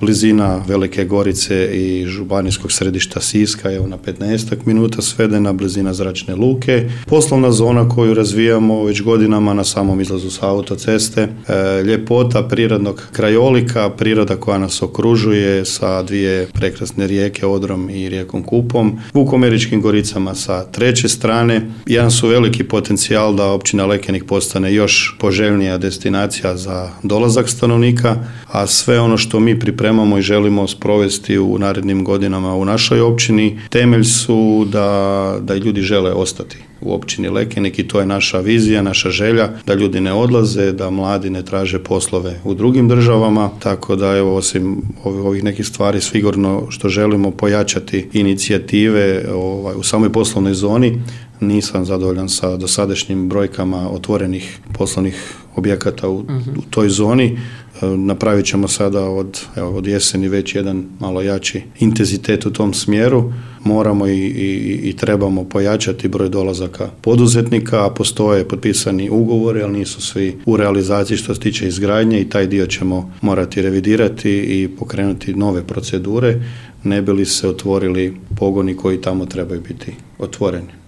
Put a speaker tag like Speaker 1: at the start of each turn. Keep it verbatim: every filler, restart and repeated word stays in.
Speaker 1: blizina Velike Gorice i županijskog središta Siska, evo na petnaestak minuta svedena, blizina zračne luke. Poslovna zona koju razvijamo već godinama na samom izlazu sa autoceste, e, ljepota prirodnog krajolika, priroda koja nas okružuje sa dvije prekrasne rijeke, Odrom i rijekom Kupom, Vukomeričkim Goricama sa treće strane. Jedan su veliki potencijal da općina Lekenik postane još poželjnija destinacija za dolazak stanovnika, a sve ono što mi pripremamo i želimo sprovesti u narednim godinama u našoj općini, temelj su da, da ljudi žele ostati u općini Lekenik i to je naša vizija, naša želja, da ljudi ne odlaze, da mladi ne traže poslove u drugim državama, tako da evo osim ovih nekih stvari sigurno što želimo pojačati inicijative ovaj, u samoj poslovnoj zoni. Nisam zadovoljan sa dosadašnjim brojkama otvorenih poslovnih objekata u, u toj zoni. Napravit ćemo sada od, evo, od jeseni već jedan malo jači intenzitet u tom smjeru. Moramo i, i, i trebamo pojačati broj dolazaka poduzetnika, a postoje potpisani ugovori, ali nisu svi u realizaciji što se tiče izgradnje i taj dio ćemo morati revidirati i pokrenuti nove procedure, ne bi li se otvorili pogoni koji tamo trebaju biti otvoreni.